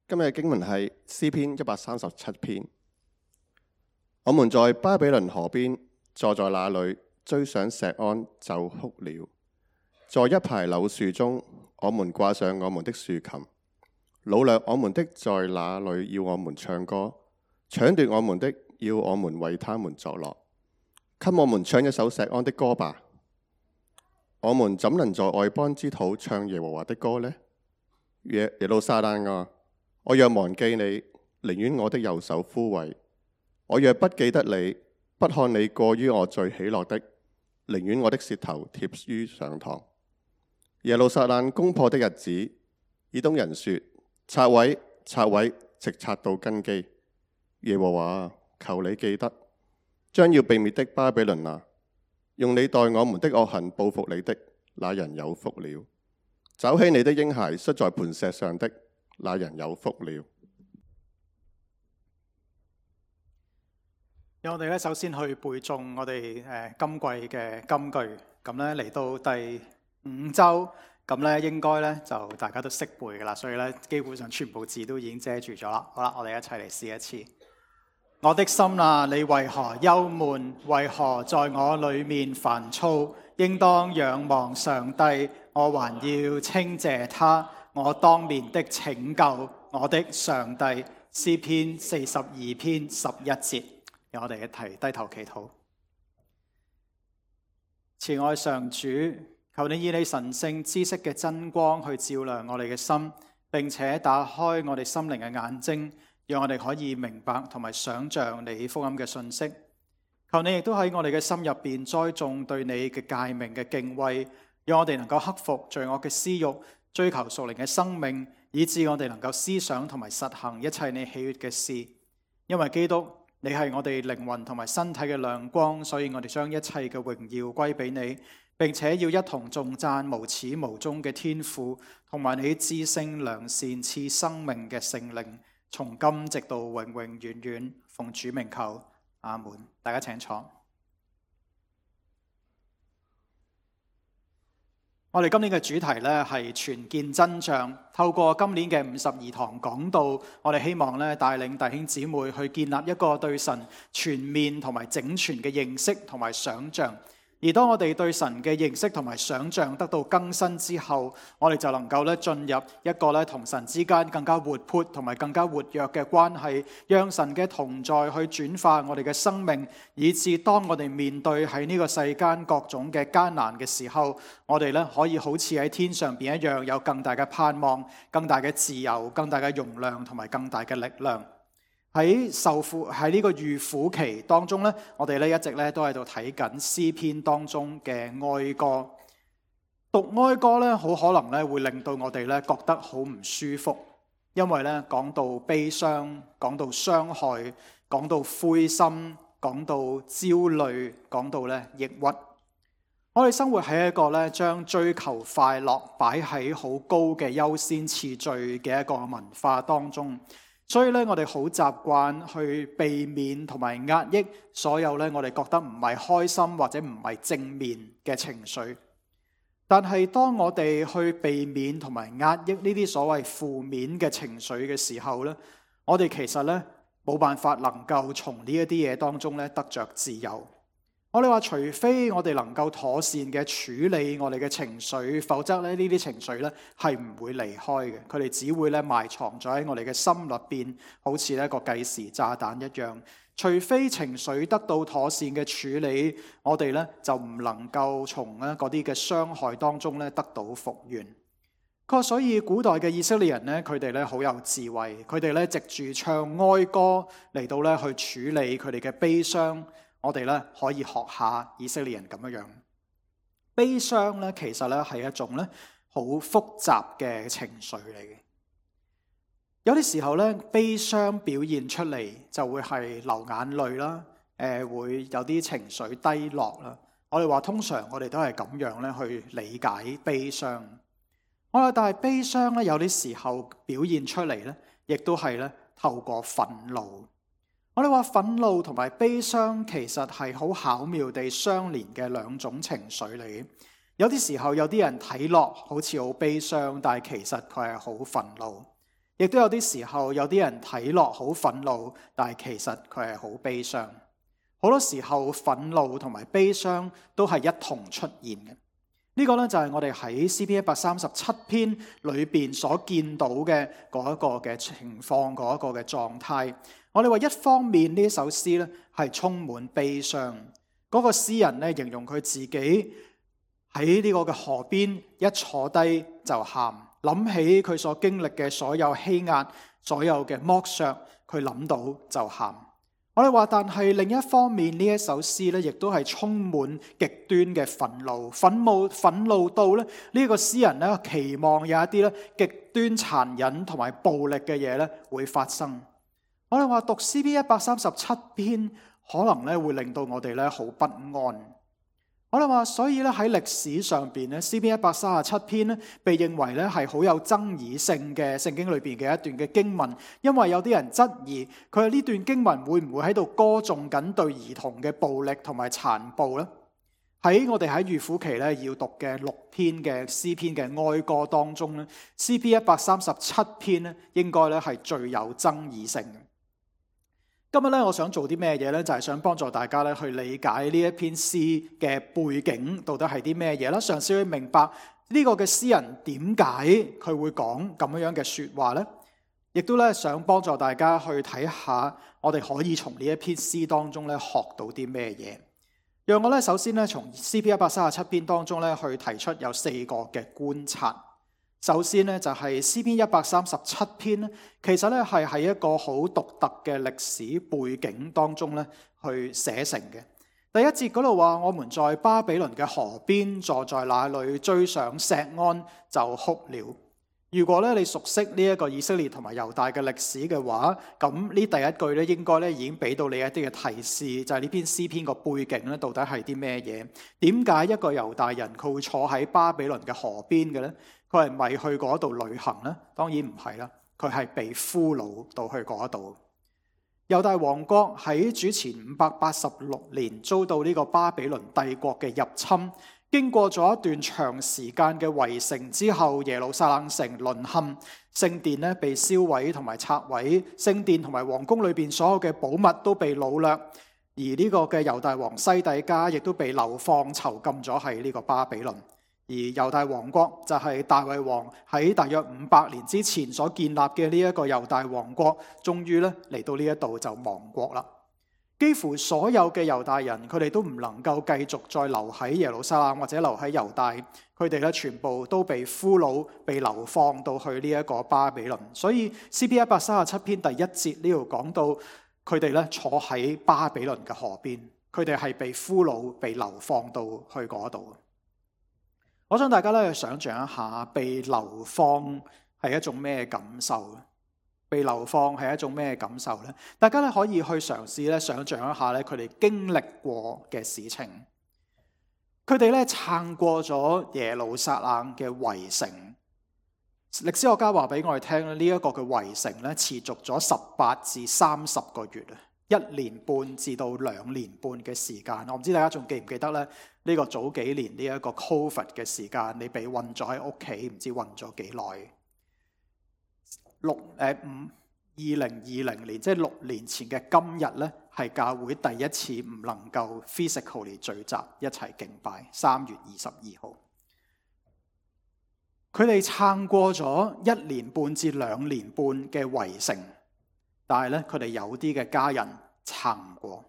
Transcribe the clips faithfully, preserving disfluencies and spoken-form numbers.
今日嘅經文係詩篇一百三十七篇。我們在巴比倫河邊坐在那裏，追上錫安就哭了。在一排柳樹中，我們掛上我們的豎琴。擄掠我們的在那裏要我們唱歌，搶奪我們的要我們為他們作樂。給我們唱一首錫安的歌吧。我們怎能在外邦之土唱耶和華的歌呢？耶耶路撒冷啊，我若忘記你，寧願我的右手枯萎；我若不記得你，不看你過於我最喜樂的，寧願我的舌頭貼於上膛。耶路撒冷攻破的日子，以東人說：拆毀，拆毀，直拆到根基。耶和華，求你記得，將要被滅的巴比倫啊，用你待我們的惡行報復你的，那人有福了。找起你的嬰孩摔在磐石上的，那人有福了。讓我哋咧首先去背誦我哋誒今季嘅金句，咁咧嚟到第五周，咁咧應該咧就大家都識背噶啦，所以咧基本上全部字都已經遮住咗啦。好啦，我哋一齊嚟試一次。我的心啊，你為何憂悶？為何在我裏面煩躁？應當仰望上帝，我還要稱謝他，我當面的拯救，我的上帝。詩篇四十二篇十一節，讓我哋一齊低頭祈禱。慈愛上主，求你以你神聖知識嘅真光去照亮我哋嘅心，並且打開我哋心靈嘅眼睛，讓我哋可以明白同埋想像你福音嘅信息。求你亦都喺我哋嘅心入邊栽種對你嘅誡命嘅敬畏，讓我哋能夠克服罪惡嘅私欲，追求屬靈嘅生命，以致我哋能夠思想同埋實行一切你喜悅嘅事。因為基督，你係我哋靈魂同埋身體嘅亮光，所以我哋將一切嘅榮耀歸俾你，並且要一同頌讚無始無終嘅天父，同埋你至聖良善賜生命嘅聖靈，從今直到永永遠遠。奉主名求，阿門。大家請坐。我哋今年嘅主題呢係全見真像，透過今年嘅五十二堂講道，我哋希望咧帶領弟兄姊妹去建立一個對神全面同埋整全嘅認識同埋想像。而當我哋對神嘅認識同埋想像得到更新之後，我哋就能夠咧進入一個咧同神之間更加活潑同埋更加活躍嘅關係，讓神嘅同在去轉化我哋嘅生命，以致當我哋面對喺呢個世間各種嘅艱難嘅時候，我哋咧可以好似喺天上邊一樣，有更大嘅盼望、更大嘅自由、更大嘅容量同埋更大嘅力量。喺受苦喺呢個預苦期當中咧，我哋咧一直咧都喺度睇緊詩篇當中嘅哀歌。讀哀歌咧，好可能咧會令到我哋咧覺得好唔舒服，因為咧講到悲傷，講到傷害，講到灰心，講到焦慮，講到咧抑鬱。我哋生活喺一個咧將追求快樂擺喺好高嘅優先次序嘅一個文化當中。所以咧，我哋好習慣去避免同埋壓抑所有咧，我哋覺得唔係開心或者唔係正面嘅情緒。但係當我哋去避免同埋壓抑呢啲所謂負面嘅情緒嘅時候咧，我哋其實咧冇辦法能夠從呢一啲嘢當中咧得着自由。我哋話，除非我哋能夠妥善嘅處理我哋嘅情緒，否則咧呢啲情緒咧係唔會離開嘅，佢哋只會咧埋藏咗喺我哋嘅心入邊，好似一個計時炸彈一樣。除非情緒得到妥善嘅處理，我哋咧就唔能夠從咧嗰啲嘅傷害當中咧得到復原。所以古代嘅以色列人咧，佢哋咧好有智慧，佢哋咧藉住唱哀歌嚟到咧去處理佢哋嘅悲傷。我哋咧可以學下以色列人咁樣樣。悲傷咧其實咧係一種咧好複雜嘅情緒嚟嘅。有啲時候咧悲傷表現出嚟就會係流眼淚啦，誒會有啲情緒低落啦。我哋話通常我哋都係咁樣咧去理解悲傷。我話但係悲傷咧有啲時候表現出嚟咧，亦都係咧透過憤怒。我哋話憤怒同埋悲傷其實係好巧妙地相連嘅兩種情緒嚟嘅。有啲時候有啲人睇落好似好悲傷，但係其實佢係好憤怒。亦都有啲時候有啲人睇落好憤怒，但係其實佢係好悲傷。好多時候憤怒同埋悲傷都係一同出現嘅。呢個呢，就係我哋喺詩篇一百三十七篇裏邊所見到嘅嗰一個嘅情況，嗰一個嘅狀態。我哋話一方面呢首詩呢係充滿悲傷，嗰個詩人呢形容佢自己喺呢個嘅河邊一坐低就喊，諗起佢所經歷嘅所有欺壓、所有嘅剝削，佢諗到就喊。我哋話，但係另一方面呢一首詩咧，亦都係充滿極端嘅憤怒，憤怒憤怒到咧呢個詩人咧期望有一啲咧極端殘忍同埋暴力嘅嘢咧會發生。我哋話讀詩篇一百三十七篇，可能咧會令到我哋咧好不安。我哋話，所以咧喺歷史上邊咧，詩篇一百三十七篇咧被認為咧係好有爭議性嘅聖經裏邊嘅一段嘅經文，因為有啲人質疑佢係呢段經文會唔會喺度歌頌緊對兒童嘅暴力同埋殘暴呢？喺我哋喺預苦期咧要讀嘅六篇嘅詩篇嘅哀歌當中咧，詩篇一百三十七篇咧應該咧係最有爭議性嘅。今日咧，我想做啲咩嘢咧？就係想幫助大家咧去理解呢一篇詩嘅背景到底係啲咩嘢啦，嘗試去明白呢個嘅詩人點解佢會講咁樣嘅說話咧，亦都咧想幫助大家去睇下，我哋可以從呢一篇詩當中咧學到啲咩嘢。讓我咧首先咧從詩篇一百三十七篇當中咧去提出有四個嘅觀察。首先呢，就係詩篇一百三十七篇咧，其實咧係喺一個好獨特嘅歷史背景當中咧去寫成嘅。第一節嗰度話，我們在巴比倫嘅河邊坐在那裏，追上錫安就哭了。如果咧你熟悉呢一個以色列同埋猶大嘅歷史嘅話，咁呢第一句咧應該咧已經俾到你一啲嘅提示，就係呢篇詩篇個背景咧到底係啲咩嘢？點解一個猶大人佢會坐喺巴比倫嘅河邊嘅咧？佢係咪去嗰度旅行呢？當然唔係啦，佢係被俘虜到去嗰度。猶大王國喺主前五百八十六年遭到呢個巴比倫帝國嘅入侵，經過咗一段長時間嘅圍城之後，耶路撒冷城淪陷，聖殿咧被燒毀同埋拆毀，聖殿同埋皇宮裏邊所有嘅寶物都被擄掠，而呢個嘅猶大王西底家亦都被流放囚禁咗喺呢個巴比倫。而猶大王國就係大衛王喺大約五百年之前所建立嘅呢一個猶大王國，終於咧嚟到呢一度就亡國啦。幾乎所有嘅猶大人，佢哋都唔能夠繼續再留喺耶路撒冷或者留喺猶大，佢哋咧全部都被俘虜、被流放到去呢一個巴比倫。所以詩篇一百三十七篇第一節呢度講到，佢哋咧坐喺巴比倫嘅河邊，佢哋係被俘虜、被流放到去嗰度。我想大家咧去想象一下，被流放係一種咩感受？被流放係一種咩感受呢？大家咧可以去嘗試咧想象一下咧佢哋經歷過嘅事情。佢哋咧撐過咗耶路撒冷嘅圍城。歷史學家話俾我哋聽咧，呢一個嘅圍城咧持續咗十八至三十個月啊，一年半至到兩年半嘅時間。我唔知大家仲記唔記得咧？呢個早幾年呢一個 Covid 嘅時間，你被困咗喺屋企，唔知困咗幾耐？六誒五二零二零年，即係六年前嘅今日咧，係教會第一次唔能夠 physically 聚集一齊敬拜。三月二十二號，佢哋撐過咗一年半至兩年半嘅圍城，但係咧佢哋有啲嘅家人撐唔過，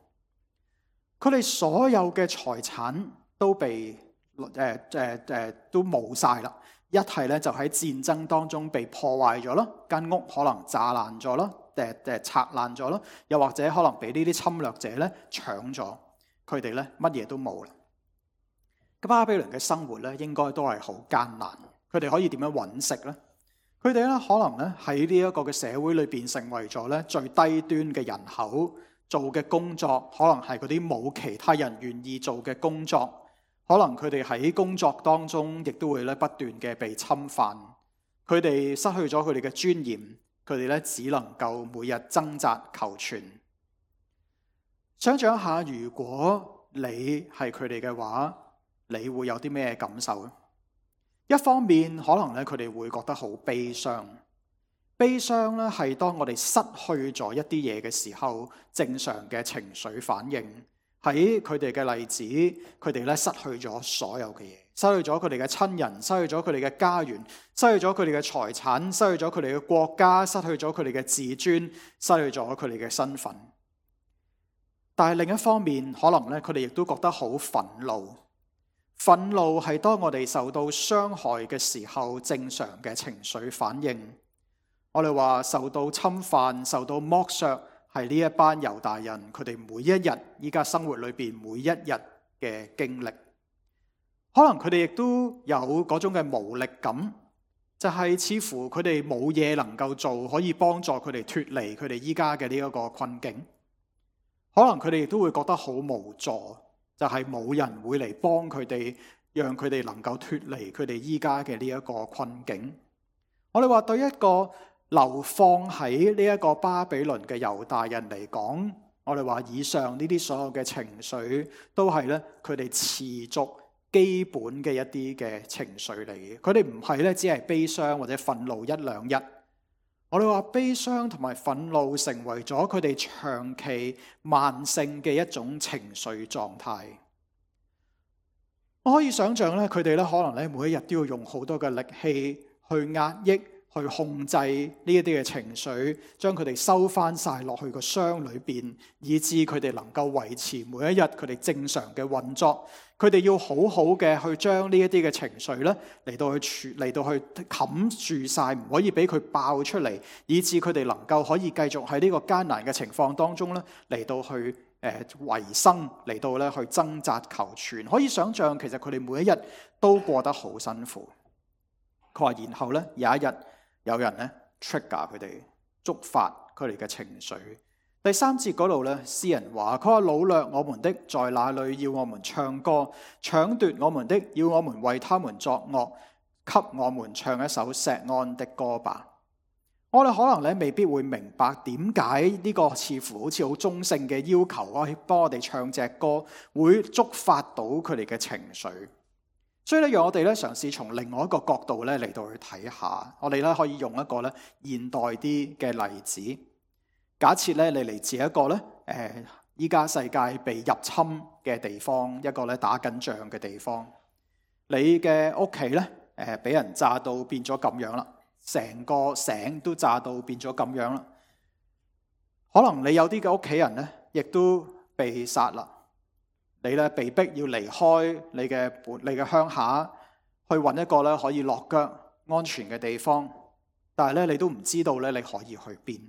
佢哋所有嘅財產都被誒誒誒都冇晒啦。一係咧就喺戰爭當中被破壞咗咯，間屋可能炸爛咗咯，誒誒拆爛咗咯，又或者可能俾呢啲侵略者咧搶咗，佢哋咧乜嘢都冇啦。咁巴比倫嘅生活咧應該都係好艱難，佢哋可以點樣揾食咧？佢哋咧可能咧喺呢一個嘅社會裏邊成為咗咧最低端嘅人口，做嘅工作可能係嗰啲冇其他人願意做嘅工作。可能佢哋喺工作當中，亦都會咧不斷嘅被侵犯。佢哋失去咗佢哋嘅尊嚴，佢哋咧只能夠每日掙扎求存。想象一下，如果你係佢哋嘅話，你會有啲咩感受咧？一方面，可能咧佢哋會覺得好悲傷，悲傷咧係當我哋失去咗一啲嘢嘅時候，正常嘅情緒反應。喺佢哋嘅例子，佢哋咧失去咗所有嘅嘢，失去咗佢哋嘅親人，失去咗佢哋嘅家園，失去咗佢哋嘅財產，失去咗佢哋嘅國家，失去咗佢哋嘅自尊，失去咗佢哋嘅身份。但係另一方面，可能咧佢哋亦都覺得好憤怒。憤怒係當我哋受到傷害嘅時候，正常嘅情緒反應。我哋話受到侵犯、受到剝削，係呢一班猶大人佢哋每一日依家生活裏邊每一日嘅經歷。可能佢哋亦都有嗰種嘅無力感，就係似乎佢哋冇嘢能夠做，可以幫助佢哋脫離佢哋依家嘅呢一個困境。可能佢哋亦都會覺得好無助，就係冇人會嚟幫佢哋，讓佢哋能夠脫離佢哋依家嘅呢一個困境。我哋話對一個流放喺呢一個巴比倫嘅猶大人嚟講，我哋話以上呢啲所有嘅情緒都係咧佢哋持續基本嘅一啲嘅情緒嚟嘅。佢哋唔係咧只係悲傷或者憤怒一兩日。我哋話悲傷同埋憤怒成為咗佢哋長期慢性嘅一種情緒狀態。我可以想象咧，佢哋咧可能咧每一日都要用好多嘅力氣去壓抑、去控制呢一啲嘅情緒，將佢哋收翻晒落去個箱裏邊，以致佢哋能夠維持每一日佢哋正常嘅運作。佢哋要好好嘅去將呢一啲嘅情緒咧嚟到去處嚟到去冚住晒，唔可以俾佢爆出嚟，以致佢哋能夠可以繼續喺呢個艱難嘅情況當中咧嚟到去誒、呃、維生，嚟到咧去掙扎求存。可以想象，其實佢哋每一日都過得好辛苦。佢話，然後咧有一日有人咧 trigger 佢哋，觸發佢哋嘅情緒。第三節嗰度咧，詩人話：佢話擄掠我們的在哪裏？要我們唱歌；搶奪我們的，要我們為他們作樂，給我們唱一首錫安的歌吧。我哋可能咧未必會明白點解呢個似乎好似好中性嘅要求啊，幫我哋唱隻歌會觸發到佢哋嘅情緒。所以咧，讓我哋咧嘗試從另外一個角度咧嚟到去睇下。我哋咧可以用一個咧現代啲嘅例子。假設咧你嚟自一個咧誒依家世界被入侵嘅地方，一個咧打緊仗嘅地方，你嘅屋企咧誒俾人炸到變咗咁樣啦，成個城都炸到變咗咁樣啦。可能你有啲嘅屋企人咧，亦都被殺啦。你咧被逼要離開你嘅本你嘅鄉下，去揾一個咧可以落腳安全嘅地方，但係咧你都唔知道咧你可以去邊。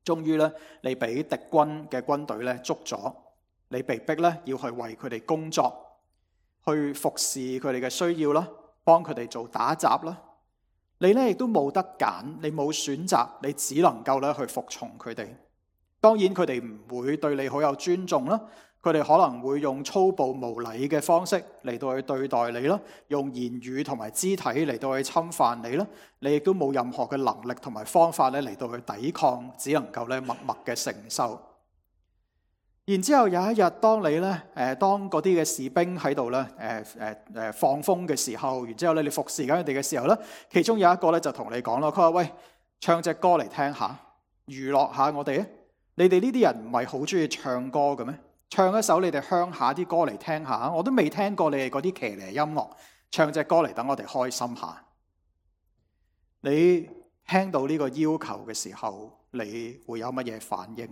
終於咧，你俾敵軍嘅軍隊咧捉咗，你被逼咧要去為佢哋工作，去服侍佢哋嘅需要啦，幫佢哋做打雜啦。你咧亦都冇得揀，你冇選擇，你只能夠咧去服從佢哋。當然佢哋唔會對你好有尊重啦。佢哋可能會用粗暴無禮嘅方式嚟到去對待你啦，用言語同埋肢體嚟到去侵犯你啦。你亦都冇任何嘅能力同埋方法咧嚟到去抵抗，只能夠咧默默嘅承受。然之後有一日，當你咧誒當嗰啲嘅士兵喺度咧誒誒誒放風嘅時候，然之後咧你服侍緊佢哋嘅時候咧，其中有一個咧就同你講咯，佢話：喂，唱隻歌嚟聽下，娛樂下我哋啊！你哋呢啲人唔係好中意唱歌嘅咩？唱一首你哋鄉下啲歌嚟聽下，我都未聽過你哋嗰啲騎呢音樂，唱隻歌嚟等我哋開心下。你聽到呢個要求嘅時候，你會有乜嘢反應？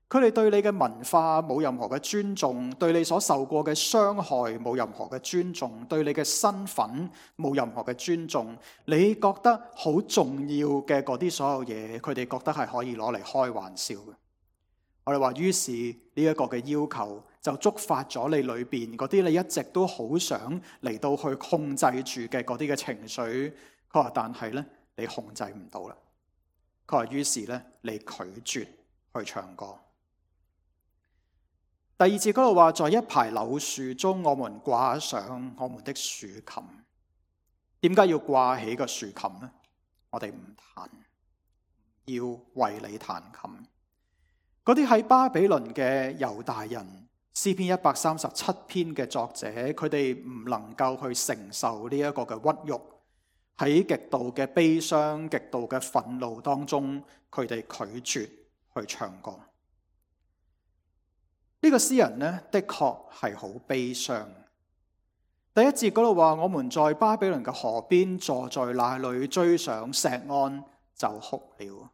佢哋對你嘅文化冇任何嘅尊重，對你所受過嘅傷害冇任何嘅尊重，對你嘅身份冇任何嘅尊重。你覺得好重要嘅嗰啲所有嘢，佢哋覺得係可以攞嚟開玩笑嘅。我哋話，於是呢一個嘅要求就觸發咗你裏邊嗰啲你一直都好想嚟到去控制住嘅嗰啲嘅情緒。佢話，但係咧你控制唔到啦。佢話，於是咧你拒絕去唱歌。第二節嗰度話，在一排柳樹中，我們掛上我們的豎琴。點解要掛起個豎琴呢？我哋唔彈，要為你彈琴。嗰啲喺巴比倫嘅猶大人，詩篇一百三十七篇嘅作者，佢哋唔能夠去承受呢一個嘅屈辱。喺極度嘅悲傷、極度嘅憤怒當中，佢哋拒絕去唱歌。呢個詩人呢，的確係好悲傷。第一節嗰度話：我們在巴比倫嘅河邊坐在那裏，追上錫安就哭了，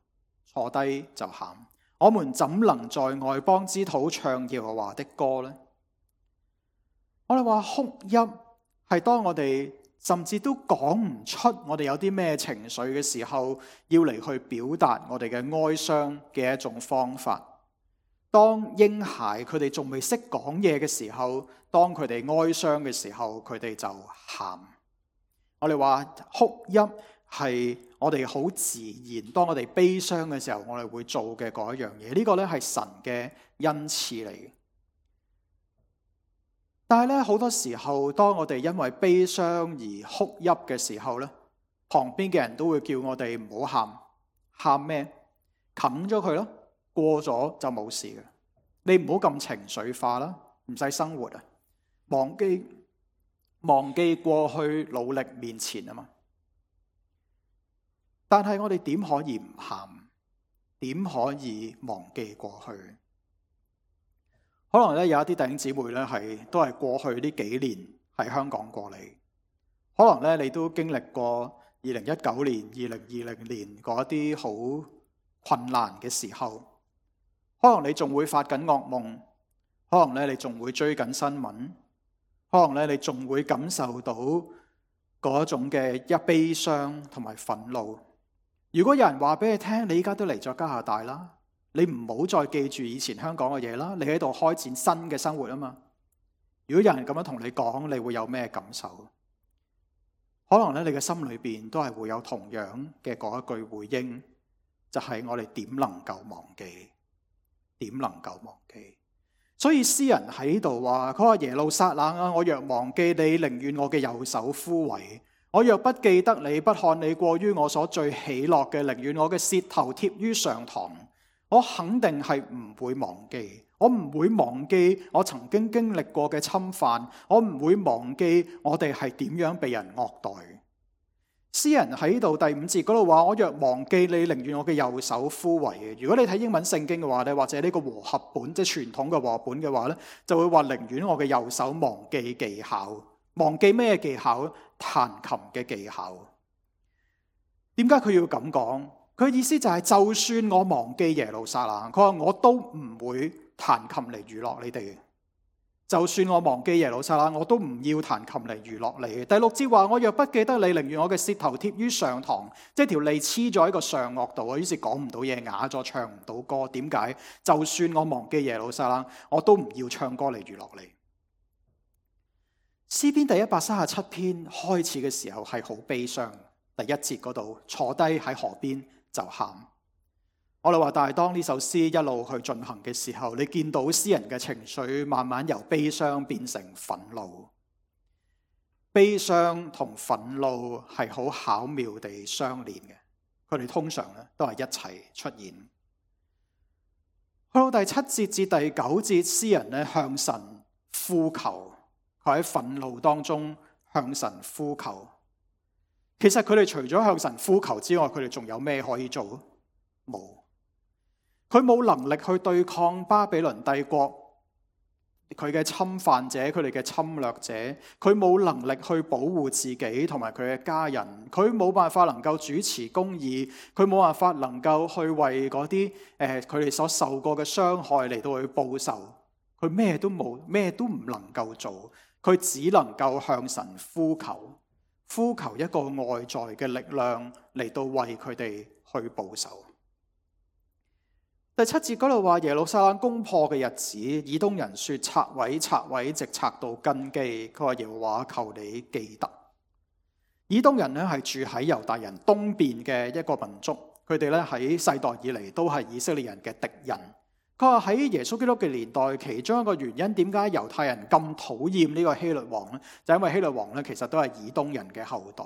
坐低就喊。我們怎能在外邦之土唱耶和華的歌呢？我哋話哭泣係當我哋甚至都講唔出我哋有啲咩情緒嘅時候，要嚟去表達我哋嘅哀傷嘅一種方法。當嬰孩佢哋仲未識講嘢嘅時候，當佢哋哀傷嘅時候，佢哋就喊。我哋話哭泣係我哋好自然，當我哋悲傷嘅時候，我哋會做嘅嗰一樣嘢。呢個咧係神嘅恩賜嚟嘅。但係咧好多時候，當我哋因為悲傷而哭泣嘅時候咧，旁邊嘅人都會叫我哋唔好喊。喊咩？冚咗佢咯。過咗就冇事嘅，你唔好咁情緒化啦，唔使生活啊，忘記忘記過去，努力面前啊嘛。但係我哋點可以唔喊？點可以忘記過去？可能咧有一啲弟兄姊妹咧係都係過去呢幾年喺香港過嚟，可能咧你都經歷過二零一九年、二零二零年嗰一啲好困難嘅時候。可能你仲會發緊噩夢，可能咧你仲會追緊新聞，可能咧你仲會感受到嗰種嘅一悲傷同埋憤怒。如果有人話俾你聽，你依家都嚟咗加拿大啦，你唔好再記住以前香港嘅嘢啦，你喺度開展新嘅生活啊嘛。如果有人咁樣同你講，你會有咩感受？可能咧你嘅心裏邊都係會有同樣嘅嗰一句回應，就係我哋點能夠忘記？點能夠忘記？所以詩人喺度話：佢話耶路撒冷啊，我若忘記你，寧願我嘅右手枯萎；我若不記得你，不看你過於我所最喜樂嘅，寧願我嘅舌頭貼於上膛。我肯定係唔會忘記，我唔會忘記我曾經經歷過嘅侵犯，我唔會忘記我哋係點樣被人惡待。詩人喺度第五節嗰度話：我若忘記你，寧願我嘅右手枯萎嘅。如果你睇英文聖經嘅話咧，或者呢個和合本即係傳統嘅和合本嘅話咧，就會話寧願我嘅右手忘記技巧。忘記咩技巧？彈琴嘅技巧。點解佢要咁講？佢意思就係，就算我忘記耶路撒冷，佢話我都唔會彈琴嚟娛樂你哋。就算我忘記耶路撒冷，我都唔要彈琴嚟娛樂你。第六節話：我若不記得你，寧願我嘅舌頭貼於上膛，即係條脷黐咗喺個上顎度啊，於是講唔到嘢，啞咗，唱唔到歌。點解？就算我忘記耶路撒冷，我都唔要唱歌嚟娛樂你。詩篇第一百三十七篇開始嘅時候係好悲傷，第一節嗰度坐低喺河邊就喊。我哋話，但係當呢首詩一路去進行嘅時候，你見到詩人嘅情緒慢慢由悲傷變成憤怒。悲傷同憤怒係好巧妙地相連嘅，佢哋通常咧都係一齊出現。去到第七節至第九節，詩人咧向神呼求，佢喺憤怒當中向神呼求。其實佢哋除咗向神呼求之外，佢哋仲有咩可以做？冇。佢冇能力去對抗巴比倫帝國，佢嘅侵犯者，佢哋嘅侵略者，佢冇能力去保護自己同埋佢嘅家人，佢冇辦法能夠主持公義，佢冇辦法能夠去為嗰啲誒佢哋所受過嘅傷害嚟到去報仇，佢咩都冇，咩都唔能夠做，佢只能夠向神呼求，呼求一個外在嘅力量嚟到為佢哋去報仇。第七節嗰度話，耶路撒冷攻破嘅日子，以東人說拆毀拆毀，直拆到根基。佢話耶和華求你記得。以東人呢係住喺猶大人東邊嘅一個民族，佢哋咧喺世代以嚟都係以色列人嘅敵人。佢話喺耶穌基督嘅年代，其中一個原因點解猶太人咁討厭呢個希律王呢？就因為希律王咧其實都係以東人嘅後代。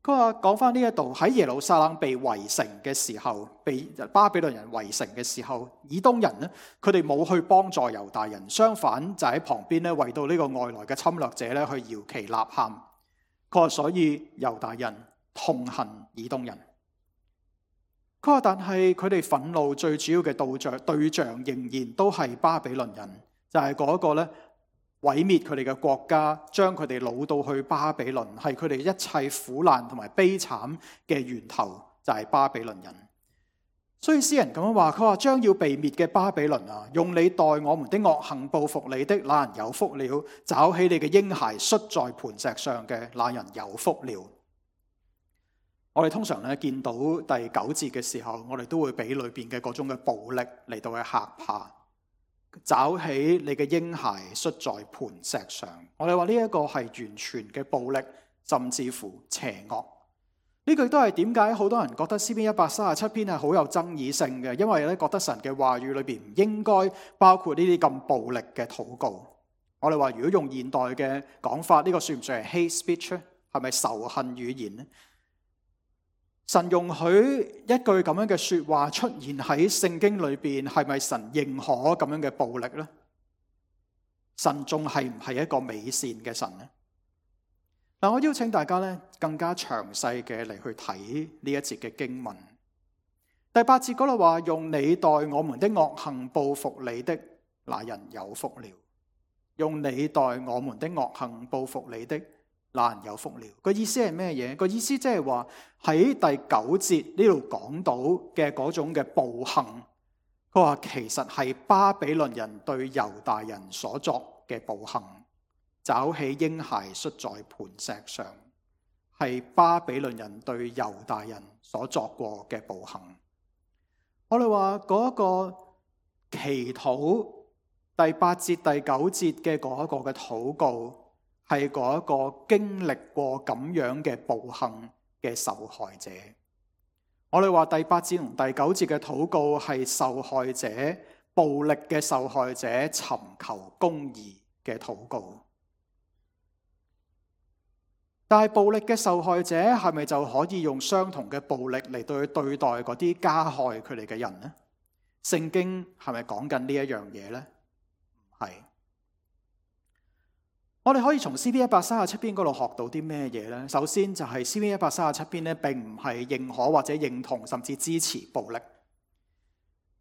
佢話講翻呢一度，喺耶路撒冷被圍城嘅時候，被巴比倫人圍城嘅時候，以東人呢，佢哋冇去幫助猶大人，相反就喺旁邊咧為到呢個外來嘅侵略者咧去搖旗吶喊。佢話所以猶大人痛恨以東人。佢話但係佢哋憤怒最主要嘅對象對象仍然都係巴比倫人，就係嗰個咧毀滅佢哋嘅國家，將佢哋擄到去巴比倫，係佢哋一切苦難同埋悲慘嘅源頭，就係巴比倫人。所以詩人咁樣話，佢話將要被滅嘅巴比倫啊，用你待我們的惡行報復你的那人有福了，找起你嘅嬰孩摔在磐石上嘅那人有福了。我哋通常咧見到第九節嘅時候，我哋都會俾裏邊嘅嗰種嘅暴力嚟到去嚇怕。找起你嘅嬰孩摔在磐石上，我哋話呢一個係完全嘅暴力，甚至乎邪惡。呢句都係點解好多人覺得詩篇一百三十七篇係好有爭議性嘅，因為咧覺得神嘅話語裏邊唔應該包括呢啲咁暴力嘅禱告。我哋話如果用現代嘅講法，呢個算唔算係 hate speech 咧？係咪仇恨語言呢？神容許一句咁樣嘅說話出現喺聖經裏邊，係咪神認可咁樣嘅暴力呢？神仲係唔係一個美善嘅神呢？嗱，我邀請大家咧更加詳細嘅嚟去睇呢一節嘅經文。第八節嗰度話，用你待我們的惡行報復你的那人有福了。用你待我們的惡行報復你的那人有福了。個意思係咩嘢？個意思即係話喺第九節呢度講到嘅嗰種嘅暴行，佢話其實係巴比倫人對猶大人所作嘅暴行。找起嬰孩摔在磐石上，係巴比倫人對猶大人所作過嘅暴行。我哋話嗰個祈禱第八節第九節嘅嗰一個嘅禱告，係嗰一個經歷過咁樣嘅暴行嘅受害者。我哋話第八節同第九節嘅禱告係受害者、暴力嘅受害者尋求公義嘅禱告。但係暴力嘅受害者係咪就可以用相同嘅暴力嚟對對待嗰啲加害佢哋嘅人呢？聖經係咪講緊呢一樣嘢呢？唔係。我哋可以從詩篇一百三十七篇嗰度學到啲咩嘢呢？首先就係詩篇一百三十七篇呢，並唔係認可或者認同甚至支持暴力。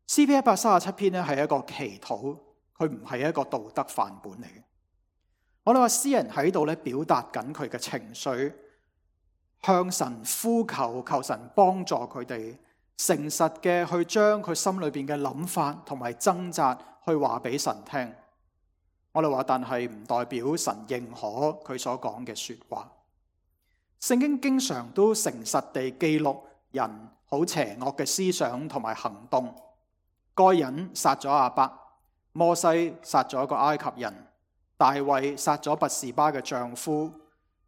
詩篇一百三十七篇呢係一個祈禱，佢唔係一個道德範本嚟嘅。我哋話詩人喺度咧表達緊佢嘅情緒，向神呼求，求神幫助佢哋，誠實嘅去將佢心裏邊嘅諗法同埋掙扎去話俾神聽。我哋話，但係唔代表神認可佢所講嘅說話。聖經經常都誠實地記錄人好邪惡嘅思想同埋行動。該隱殺咗亞伯，摩西殺咗一個埃及人，大衛殺咗拔示巴嘅丈夫。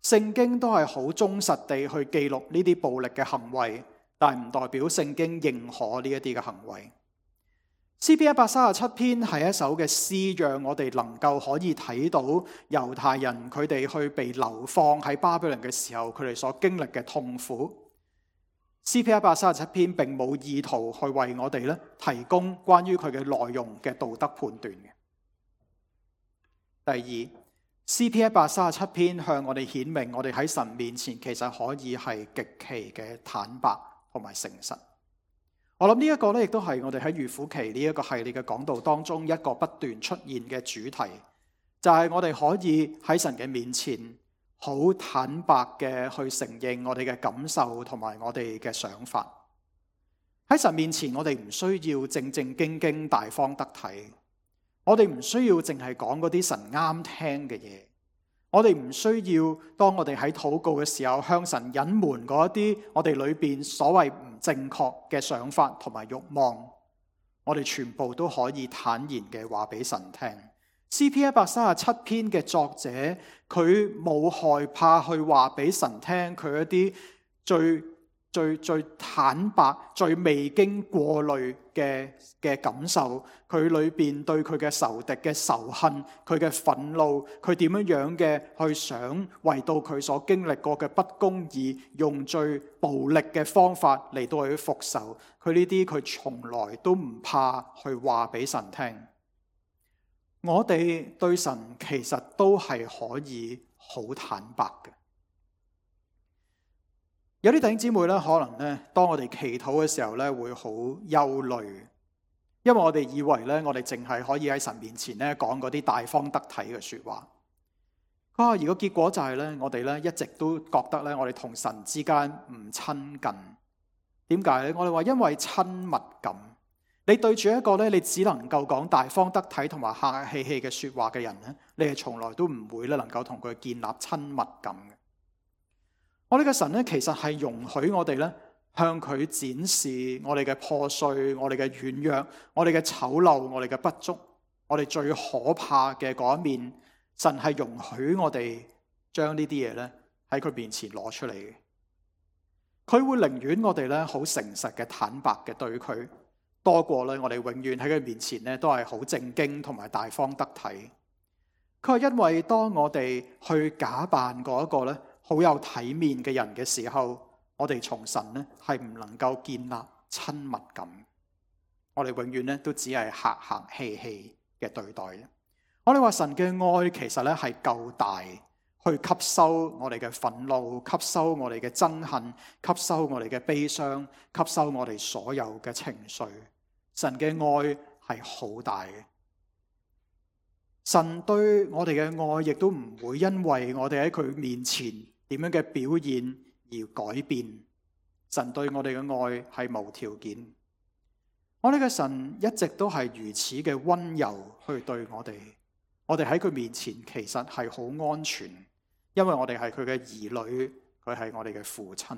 聖經都係好忠實地去記錄呢啲暴力嘅行為，但係唔代表聖經認可呢一啲嘅行為。詩篇一百三十七篇係一首嘅詩，讓我哋能夠可以睇到猶太人佢哋去被流放喺巴比倫嘅時候，佢哋所經歷嘅痛苦。詩篇一百三十七篇並冇意圖去為我哋咧提供關於佢嘅內容嘅道德判斷嘅。第二，詩篇一百三十七篇向我哋顯明，我哋喺神面前其實可以係極其嘅坦白同埋誠實。我諗呢一個咧，亦都係我哋喺預苦期呢一個系列嘅講道當中一個不斷出現嘅主題，就係我哋可以喺神嘅面前好坦白嘅去承認我哋嘅感受同埋我哋嘅想法。喺神面前，我哋唔需要正正經經大方得體。我哋唔需要淨係講嗰啲神啱聽嘅嘢，我哋唔需要當我哋喺禱告嘅時候向神隱瞞嗰一啲我哋裏邊所謂唔正確嘅想法同埋慾望，我哋全部都可以坦然嘅話俾神聽。詩篇一百三十七篇嘅作者，佢冇害怕去話俾神聽佢一啲最最最坦白、最未經過濾嘅嘅感受，佢裏邊對佢嘅仇敵嘅仇恨，佢嘅憤怒，佢點樣樣嘅去想為到佢所經歷過嘅不公義，用最暴力嘅方法嚟到去復仇。佢呢啲佢從來都唔怕去話俾神聽。我哋對神其實都係可以好坦白嘅。有啲弟兄姊妹咧，可能咧，當我哋祈禱嘅時候咧，會好憂慮，因為我哋以為咧，我哋淨係可以喺神面前咧講嗰啲大方得體嘅說話。啊，而個結果就係咧，我哋咧一直都覺得咧，我哋同神之間唔親近。點解咧？我哋話因為親密感，你對住一個咧，你只能夠講大方得體同埋客客氣氣嘅說話嘅人咧，你係從來都唔會咧能夠同佢建立親密感嘅。我哋嘅神咧，其實係容許我哋咧向佢展示我哋嘅破碎、我哋嘅軟弱、我哋嘅醜陋、我哋嘅不足、我哋最可怕嘅嗰一面。神係容許我哋將呢啲嘢咧喺佢面前攞出嚟嘅。佢會寧願我哋咧好誠實嘅坦白嘅對佢，多過咧我哋永遠喺佢面前咧都係好正經同埋大方得體。佢係因為當我哋去假扮嗰一個咧好有體面嘅人嘅時候，我哋從神咧係唔能夠建立親密感，我哋永遠咧都只係客客氣氣嘅對待。我哋話神嘅愛其實咧係夠大，去吸收我哋嘅憤怒，吸收我哋嘅憎恨，吸收我哋嘅悲傷，吸收我哋所有嘅情緒。神嘅愛係好大嘅。神對我哋嘅愛亦都唔會因為我哋喺佢面前點樣嘅表現而改變。神對我哋嘅愛係無條件。我哋嘅神一直都係如此嘅溫柔去對我哋。我哋喺佢面前其實係好安全，因為我哋係佢嘅兒女，佢係我哋嘅父親。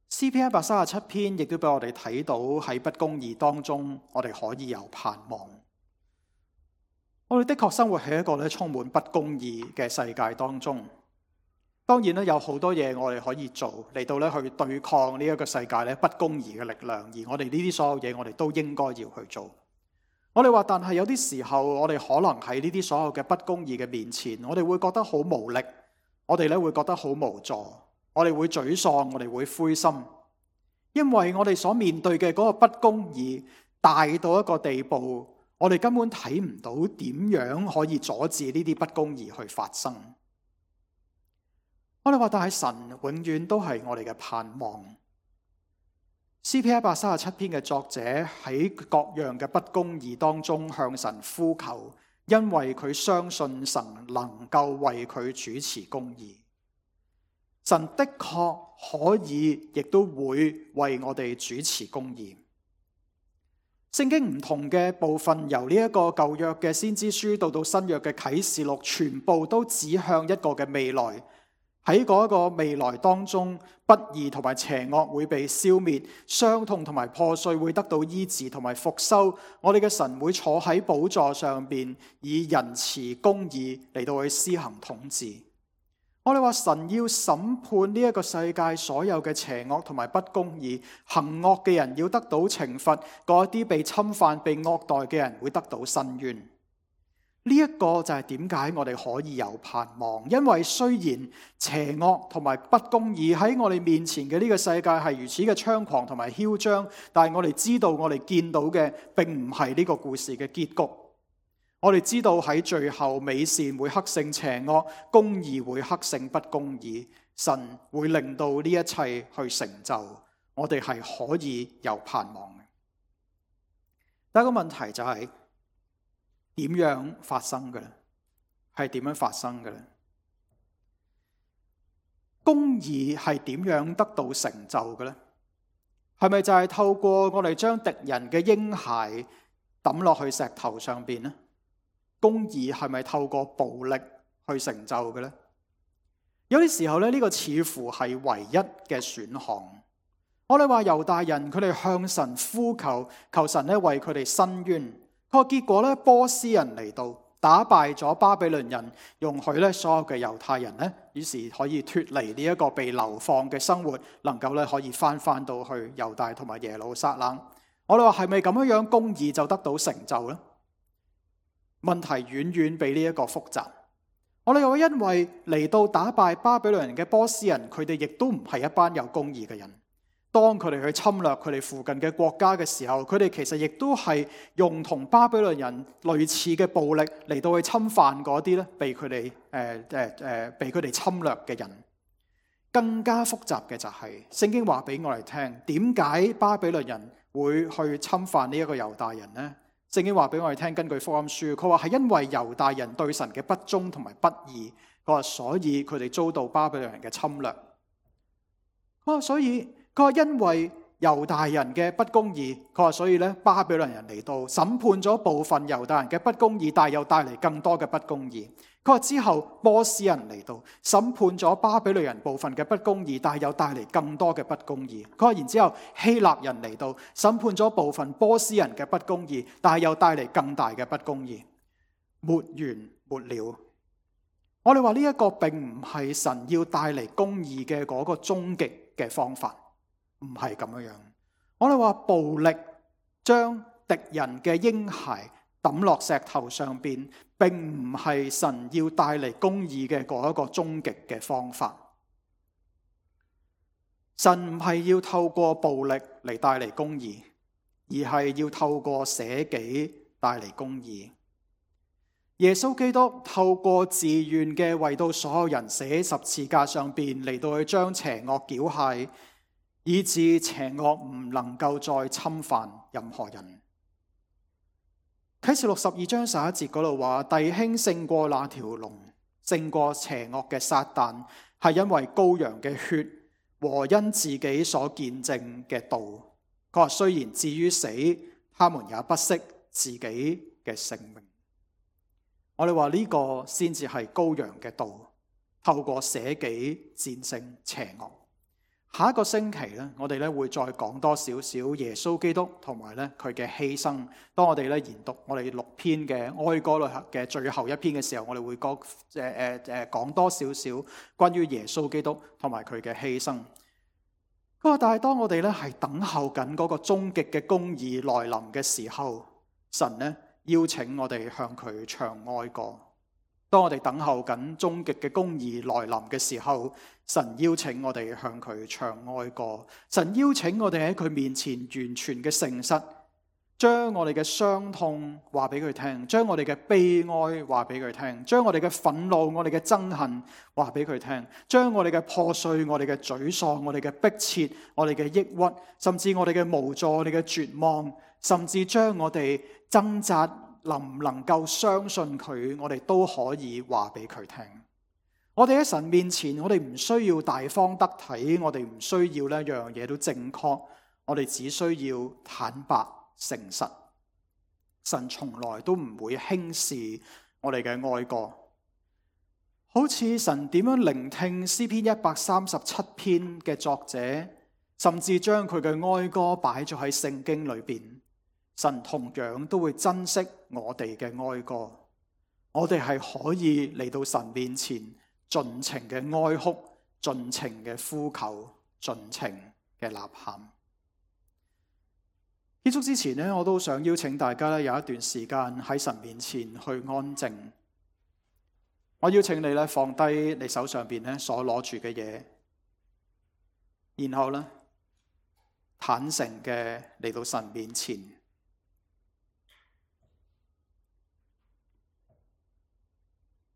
詩篇一百三十七篇亦都俾我哋睇到喺不公義當中，我哋可以有盼望。我哋的確生活喺一個咧充滿不公義嘅世界當中。當然咧有好多嘢我哋可以做嚟到咧去對抗呢一個世界咧不公義嘅力量，而我哋呢啲所有嘢我哋都應該要去做。我哋話，但係有啲時候我哋可能喺呢啲所有嘅不公義嘅面前，我哋會覺得好無力，我哋咧會覺得好無助，我哋會沮喪，我哋會灰心，因為我哋所面對嘅嗰個不公義大到一個地步，我哋根本睇唔到點樣可以阻止呢啲不公義去發生。我哋話，但係神永遠都係我哋嘅盼望。詩篇一百三十七篇嘅作者喺各樣嘅不公義當中向神呼求，因為佢相信神能夠為佢主持公義。神的確可以，亦都會為我哋主持公義。聖經唔同嘅部分，由呢一個舊約嘅先知書到到新約嘅啟示錄，全部都指向一個嘅未來。喺嗰個未來當中，不義同埋邪惡會被消滅，傷痛同埋破碎會得到醫治同埋復修。我哋嘅神會坐喺寶座上邊，以仁慈公義嚟到去施行統治。我哋話神要審判呢一個世界所有嘅邪惡同埋不公義，行惡嘅人要得到懲罰，嗰啲被侵犯、被惡待嘅人會得到伸冤。呢一個就係點解我哋可以有盼望，因為雖然邪惡同埋不公義喺我哋面前嘅呢個世界係如此嘅猖狂同埋囂張，但係我哋知道我哋見到嘅並唔係呢個故事嘅結局。我哋知道喺最後美善會克勝邪惡，公義會克勝不公義，神會令到呢一切去成就，我哋係可以有盼望嘅。第一個問題就係，點樣發生嘅咧？係點樣發生嘅咧？公義係點樣得到成就嘅咧？係咪就係透過我哋將敵人嘅嬰孩抌落去石頭上邊咧？公義係咪透過暴力去成就嘅咧？有啲時候咧，呢個似乎係唯一嘅選項。我哋話猶大人佢哋向神呼求，求神咧為佢哋伸冤。個結果咧，波斯人嚟到打敗咗巴比倫人，容許咧所有嘅猶太人咧，於是可以脫離呢一個被流放嘅生活，能夠咧可以翻翻到去猶大同埋耶路撒冷。我哋話係咪咁樣樣公義就得到成就呢？問題遠遠比呢一個複雜。我哋又因為嚟到打敗巴比倫人嘅波斯人，佢哋亦都唔係一班有公義嘅人。當佢哋去侵略佢哋附近嘅國家嘅時候，佢哋其實亦都係用同巴比倫人類似嘅暴力嚟到去侵犯嗰啲咧被佢哋誒誒誒被佢哋侵略嘅人。更加複雜嘅就係、是、聖經話俾我哋聽，點解巴比倫人會去侵犯呢一個猶大人呢？聖經話俾我哋聽，根據福音書，佢話係因為猶大人對神嘅不忠同埋不義，佢話所以佢哋遭到巴比倫人嘅侵略。佢話所以佢話因為猶大人嘅不公義，佢話所以咧巴比倫人嚟到審判咗部分猶大人嘅不公義，但係又帶嚟更多嘅不公義。佢話之後波斯人嚟到審判咗巴比倫人部分嘅不公義，但係又帶嚟更多嘅不公義。佢話然之後希臘人嚟到審判咗部分波斯人嘅不公義，但係又帶嚟更大嘅不公義，沒完沒了。我哋話呢一個並唔係神要帶嚟公義嘅嗰個終極嘅方法，唔係咁樣樣。我哋話暴力將敵人嘅嬰孩抌落石頭上邊，並唔係神要帶嚟公義嘅嗰一個終極嘅方法。神唔係要透過暴力嚟帶嚟公義，而係要透過捨己帶嚟公義。耶穌基督透過自願嘅為到所有人死喺十字架上邊，嚟到去將邪惡繳械，以致邪惡唔能夠再侵犯任何人。啟示錄十二章十一節嗰度話，弟兄勝過那條龍，勝過邪惡嘅撒旦，係因為羔羊嘅血和因自己所見證嘅道。佢話雖然至於死，他們也不惜自己嘅性命。我哋話呢個先至係羔羊嘅道，透過捨己戰勝邪惡。下一個星期咧，我哋咧會再講多少少耶穌基督同埋咧佢嘅犧牲。當我哋咧研讀我哋六篇嘅哀歌裏嘅最後一篇嘅時候，我哋會講誒誒誒講多少少關於耶穌基督同埋佢嘅犧牲。不過，但係當我哋咧係等候緊嗰個終極嘅公義來臨嘅時候，神咧邀請我哋向佢唱哀歌。當我哋等候緊終極嘅公義來臨嘅時候，神邀請我哋向佢唱哀歌。神邀請我哋喺佢面前完全嘅誠實，將我哋嘅傷痛話俾佢聽，將我哋嘅悲哀話俾佢聽，將我哋嘅憤怒、我哋嘅憎恨話俾佢聽，將我哋嘅破碎、我哋嘅沮喪、我哋嘅迫切、我哋嘅抑鬱，甚至我哋嘅無助、我哋嘅絕望，甚至將我哋掙扎能唔能夠相信佢，我哋都可以話俾佢聽。我哋喺神面前，我哋唔需要大方得體，我哋唔需要呢樣嘢都正確，我哋只需要坦白誠實。神從來都唔會輕視我哋嘅哀歌，好似神點樣聆聽詩篇一百三十七篇嘅作者，甚至將佢嘅哀歌擺咗喺聖經裏邊。神同樣都會珍惜我哋嘅哀歌，我哋係可以嚟到神面前盡情嘅哀哭，盡情嘅呼求，盡情嘅吶喊。結束之前呢，我都想邀請大家有一段時間喺神面前去安靜。我邀請你咧放低你手上邊咧所攞住嘅嘢，然後咧坦誠嘅嚟到神面前。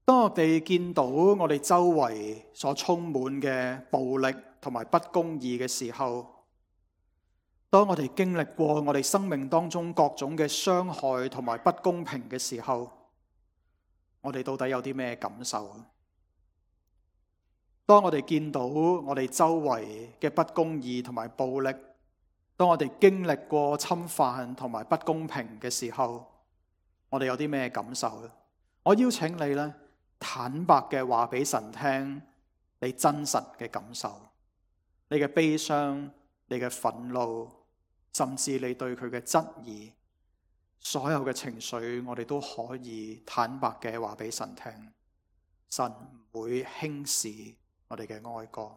當我哋見到我哋周圍所充滿嘅暴力同埋不公義嘅時候，當我哋經歷過我哋生命當中各種嘅傷害同埋不公平嘅時候，我哋到底有啲咩感受？當我哋見到我哋周圍嘅不公義同埋暴力，當我哋經歷過侵犯同埋不公平嘅時候，我哋有啲咩感受？我邀請你咧，坦白嘅話俾神聽，你真實嘅感受，你嘅悲傷，你嘅憤怒，甚至你對佢嘅質疑，所有嘅情緒，我哋都可以坦白嘅話俾神聽。神唔會輕視我哋嘅哀歌。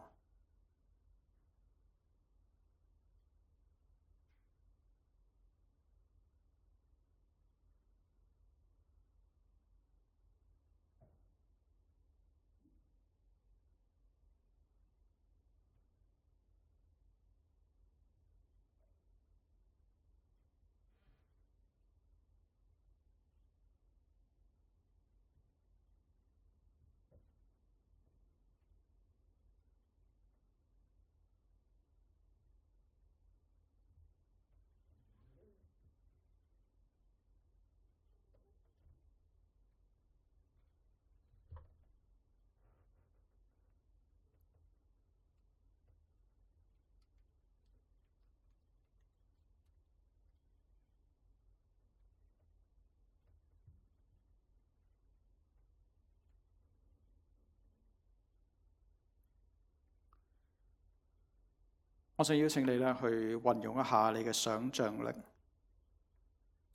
我想邀請你咧去運用一下你嘅想像力，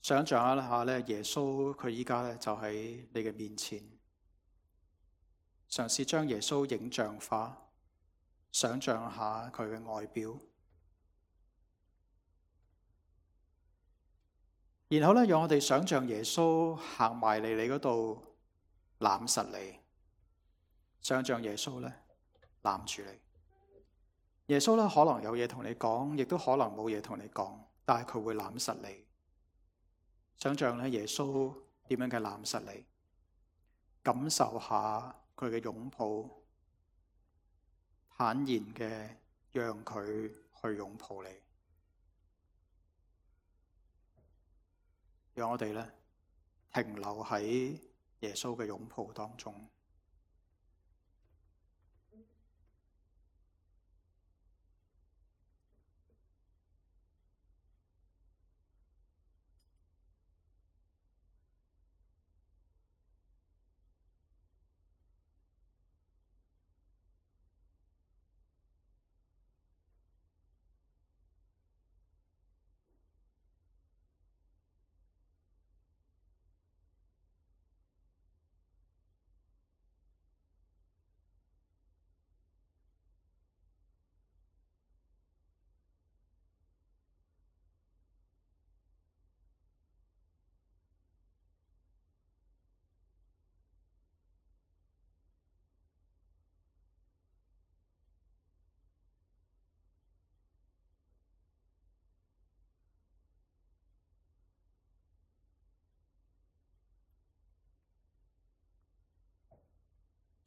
想像一下咧耶穌佢依家咧就喺你嘅面前，嘗試將耶穌影像化，想像下佢嘅外表，然後咧讓我哋想像耶穌行埋嚟你嗰度攬實你，想像耶穌咧攬住你。耶穌咧可能有嘢同你講，亦都可能冇嘢同你講，但係佢會攬實你。想像咧耶穌點樣嘅攬實你，感受下佢嘅擁抱，坦然嘅讓佢去擁抱你。讓我哋咧停留喺耶穌嘅擁抱當中。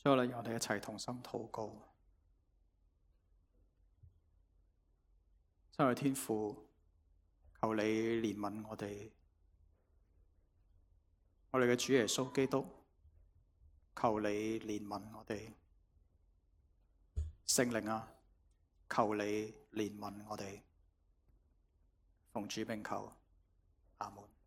所以咧，讓我哋一齊同心禱告。親愛的天父，求你憐憫我哋，我哋嘅主耶穌基督，求你憐憫我哋。聖靈啊，求你憐憫我哋。奉主名求，阿門。